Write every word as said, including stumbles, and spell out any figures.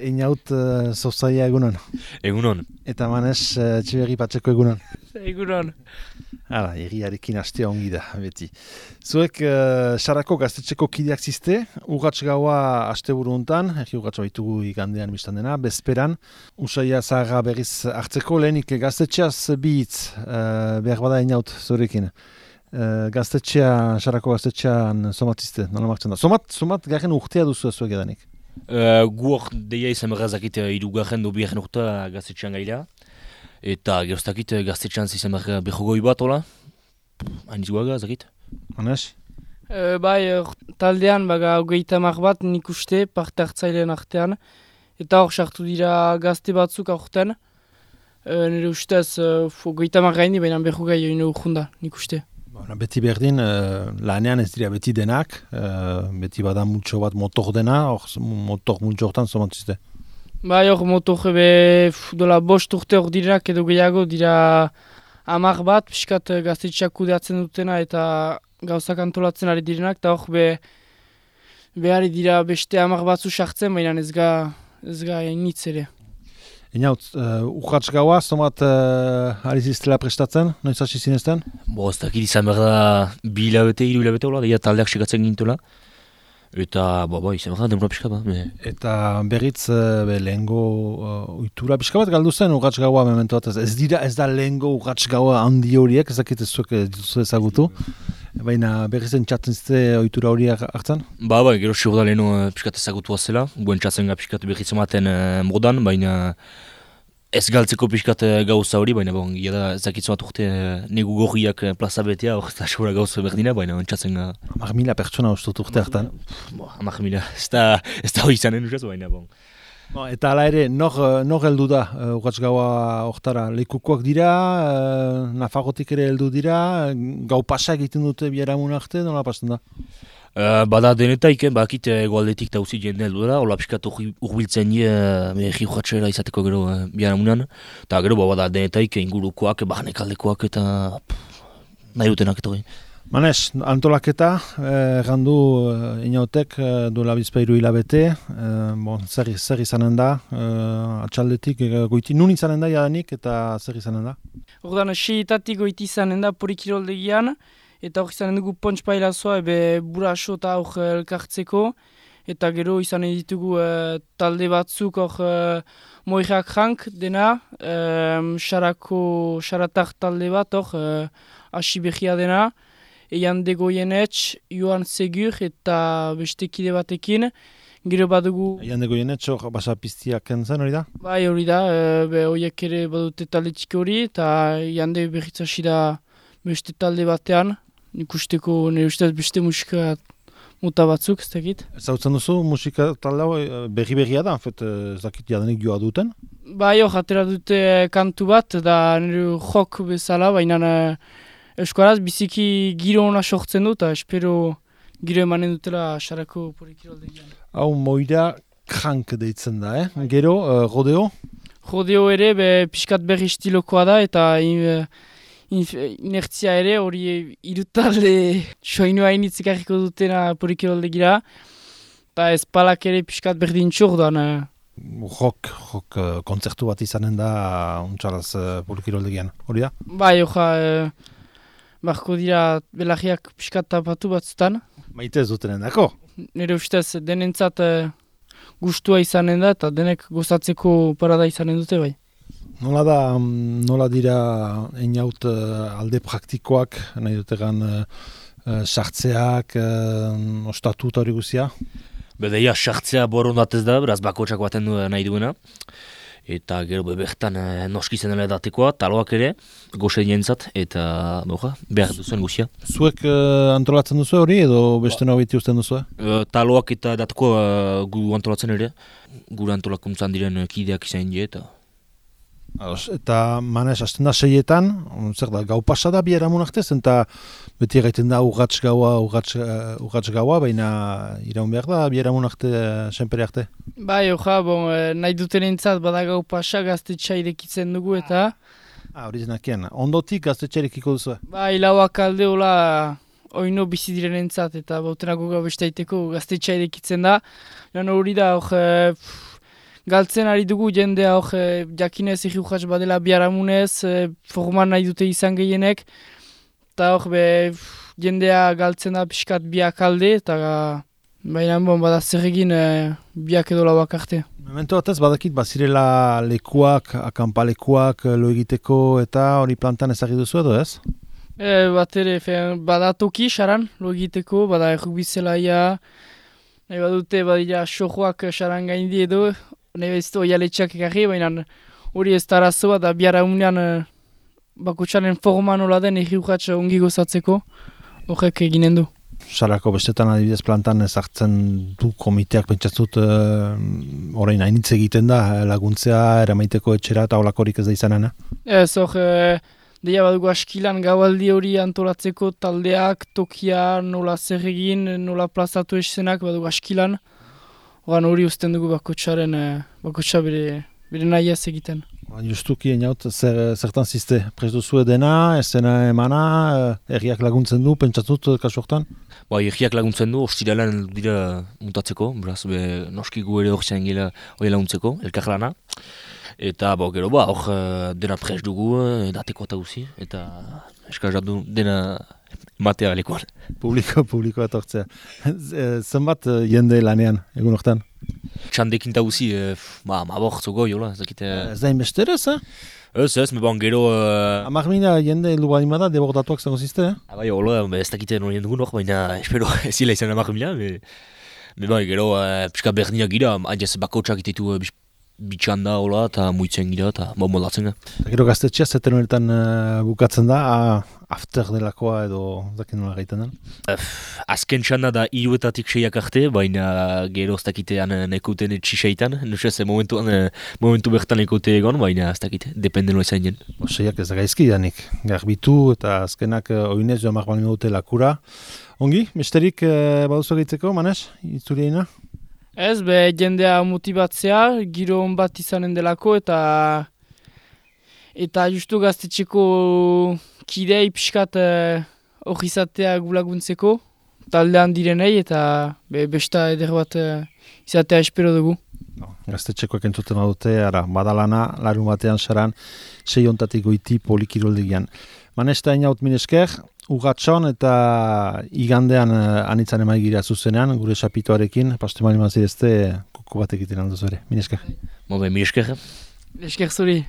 Einaut uh, zozaia egunon. Egunon. Eta Manes uh, Etxeberri Patxeko egunon. Egunon. Hala, egiarekin astea ongi da, beti. Zuek uh, Sarako gaztetxeko kideak ziste, urratx gaua asteburu hontan, egi urratx baitugu igandean biztan dena, bezperan, usaia zaharra berriz hartzeko, lehenik gaztetxeaz bihitz, uh, behar bada Einaut zurekin. Uh, gaztetxea, Sarako gaztetxean somatizte, nola martzen da. Somat, somat garen urtea duzu zuek edanik. Uh, Guok deia izan berrazakit irugarren do biharren urta gaztetxean gaila. Eta geroztakit gaztetxean izan berra behogoi bat, hola? Hain izguaga, zakit? Manes? E, bai, taldean baga hogeita hamar bat nik uste, parte hartzailean artean. Eta hor sartu dira gazte batzuk aurten. E, nire ustez, hogeita hamar gaini, baina behogei hori urjunda, nik uste. Bona, beti berdin, uh, lanean ez dira beti denak, uh, beti bada multxo bat motor dena, hor motor multxo hortan somatzizte. Bai, hor motor ebe dola bost urte hor direnak edo gehiago dira hamar bat, piskat gaztetxeak kudeatzen dutena eta gauzak antolatzen ari direnak, eta hor be, behar dira beste hamar batzu sartzen, baina ez ga, ez ga nitz ere. Einaut, uh, urratx gaua, zomat uh, ari ziztela prestatzen, noiz hasi zinezten? Bo, ez dakit izan behar da bi hilabete, hiru hilabete, hola, deia taldeak sekatzen gintola. Eta, bo, bo, izan behar da denbora pixka bat. Me... Eta berriz, uh, be, lehengo uh, ohitura pixka bat galdu zen urratx gaua memento bat. Ez dira, ez da lehengo urratx gaua handi horiek, ez dakit ez zuek dituzu ezagutu. Baina berriz entzatzen zite ohitura horiak hartzen? Ba, ba, gero siur da leheno uh, pixkat ezagutua zela. Guen txatzen ga pixkat berriz ematen uh, modan, baina ez galtzeko pixkat uh, gauza hori, baina bon, gira da ezakitzu bat urte uh, negu gorriak uh, plaza betea, hor eta segura gauza berdina, baina entzatzen ga... Hamar mila pertsona ustut urte hartan. Bo, hamar mila, ez da hori izanen usaz, baina bon. No, eta hala ere, nor, nor heldu da uh, urratx gaua hortara? Lekukoak dira, uh, Nafarrotik ere heldu dira, gau pasa egiten dute biharamun arte, nola pasten da? Uh, bada denetaik, eh, bakit egoaldetik eta uzi jende heldu da, hola piskat urbiltzen die uh, egi urratxera izateko gero uh, biharamunan, eta gero ba, bada denetaik ingurukoak, barnek aldekoak eta pff, nahi dutenak eta hori. Manes, antolaketa, eh, gandu eh, Einautek eh, duela bizpairu hilabete, eh, bon, zer, zer izanen da, eh, atxaldetik, eh, goiti, nun izanen da jadanik eta zer izanen da? Ordan, seitatik goiti izanen da Porikiroldegian, eta hor izanen dugu pontspailazoa, ebe buraso eta hor elkartzeko, eta gero izanen ditugu eh, talde batzuk hor eh, moirak jank dena, eh, xarako, xaratak talde bat hor, eh, hasi behia dena, Eian Degoienetx, Joan Segur eta beste kide batekin. Gero badugu... Eian Degoienetx hor basa piztiak kentzen hori da? Bai hori da, e, be horiek ere badute talde txiki hori, eta Eian de berriz hasi da beste talde batean. Nik usteko, nire ustez beste musika muta batzuk, ez dakit. Zautzen duzu musika talde hau berri-berria da, enfet, ez dakit jadanik joa duten? Bai hor, atera dute kantu bat, da nire jok bezala, baina... Euskaraz biziki giro ona sortzen dut, eta espero giro emanen dutela Sarako Porikiroldegian. Hau moira krank deitzen da, eh? Gero, uh, rodeo? Rodeo ere be, pixkat berri estilokoa da, eta in, in, inertzia ere hori irutalde soinua initzik harriko dutena Porikiroldegira, eta espalak ere pixkat berdintxur doan. Rock, rock uh, kontzertu bat izanen da untxalaz uh, Porikiroldegian, hori da? Bai, oja... Uh, Barko dira belagiak pixkat tapatu batzutan. Maite ez dutenen dako? Nire ustez denentzat uh, gustua izanen da eta denek gozatzeko parada izanen dute bai. Nola da, nola dira Einaut uh, alde praktikoak, nahi dutegan uh, uh, sartzeak, uh, ostatu eta hori guzia? Bedeia, sartzea borondatez da, beraz bakotsak baten du nahi duena. Eta gero bebertan eh, noski zenela edatekoa, taloak ere, goxe dientzat, eta boja, behar duzuen guzia. Zuek uh, antolatzen duzu hori edo beste ba. Nobiti usten duzu? Uh, taloak eta edatekoa uh, gu antolatzen ere, gure antolakuntzan diren kideak izan die, eta... Ados, eta Manes, hasten da seietan, zer da, gau pasada biharamun artez, eta beti egiten da urratx gaua, urratx, uh, urratx gaua, baina iraun behar da biharamun arte, uh, senpere arte. Bai, oja, bon, eh, nahi duten entzat bada gau pasa gaztetxa irekitzen dugu eta... Ah, hori zenakien, ondotik gaztetxerekiko duzu? Bai, lauak alde hola oino bizi diren entzat, eta bautenago gau bestaiteko gaztetxa irekitzen da. Lan hori da, hor, galtzen ari dugu jendea hor e, jakinez egi urratx badela biharamunez, e, forman nahi dute izan gehienek, eta hor be jendea galtzen da pixkat biak alde, eta baina bon, bada zer egin e, biak edo lauak arte. Memento batez badakit bazirela lekuak, akanpalekuak lo egiteko eta hori plantan ezagir duzu edo ez? E, bat ere, fe, bada toki saran lo egiteko, bada errukbizelaia, nahi badute badira sojoak saran gaindi edo, nahi bezito oialetxak ekarri, baina hori ez da arazoa da biara unean bakotxaren forma nola den egi urratx ongi gozatzeko, horrek eginen du. Sarako bestetan adibidez plantan ezartzen du komiteak pentsatzut uh, orain hainitz egiten da laguntzea eramaiteko etxera eta holakorik ez da izanen, eh? Ez, hor, e, deia badugu askilan gaualdi hori antolatzeko taldeak, tokia, nola zer egin, nola plazatu eszenak badugu askilan. Horan hori uzten dugu bakotxaren, e, bakotxa bere, bere nahiaz egiten. Justuki eniaut, zer, zertan ziste, prest duzu edena, ezena emana, erriak laguntzen du, pentsatzut kasu hortan? Ba, erriak laguntzen du, ostiralan dira mutatzeko, beraz, be, noski gu ere hor zen gila hori laguntzeko, elkar lana. Eta, bo, gero, ba, hor dena prest dugu, edateko eta guzi, eta eskazat du dena matea lekuan. Publiko, publiko etortzea. Zenbat jende lanean, egun hortan? Txandekin eta guzi, e, ba, mabortzo goi, hola, ezakite... Ez da inbesterez, eh? Ez, ez, me ban gero... Uh... Amak mina jende heldu balimada, debordatuak zango zizte, eh? Abai, hola, ez dakite nolien dugun hor, baina espero ezila izan amak mina, me... Me bai, gero, uh, pixka berdinak gira, hainez bakotxak itetu uh, bitxanda, hola, eta muitzen gira, eta bo moldatzen ga. Gero gaztetxea, zeten honetan uh, bukatzen da, a, after delakoa edo zakin nola gaiten den? Uh, azken txanda da hiruetatik seiak arte, baina gero ez dakitean nekuten txiseitan, nusez momentuan, momentu bertan nekote egon, baina ez dakite, depende nola izan jen. Seiak ez da gaizki danik, garbitu eta azkenak uh, oinez joan marbalin dute lakura. Ongi, besterik uh, baduzu egitzeko, Manes, itzuriena? Ez, be, jendea motibatzea, giro on bat izanen delako, eta eta justu gaztetxeko kidei pixkat hori izatea gulaguntzeko, taldean direnei, eta be, besta eder bat uh, izatea espero dugu. No, gaztetxekoak entzuten dute, ara, badalana, larun batean saran, sei ontatik goiti polikiroldegian. Manesta inaut minesker, Ugatxon eta igandean uh, anitzan emaigira zuzenean, gure sapitoarekin, paste mali mazirezte, koko bat egiten alduz ere. Minesker. Mobe, minesker. Minesker zuri.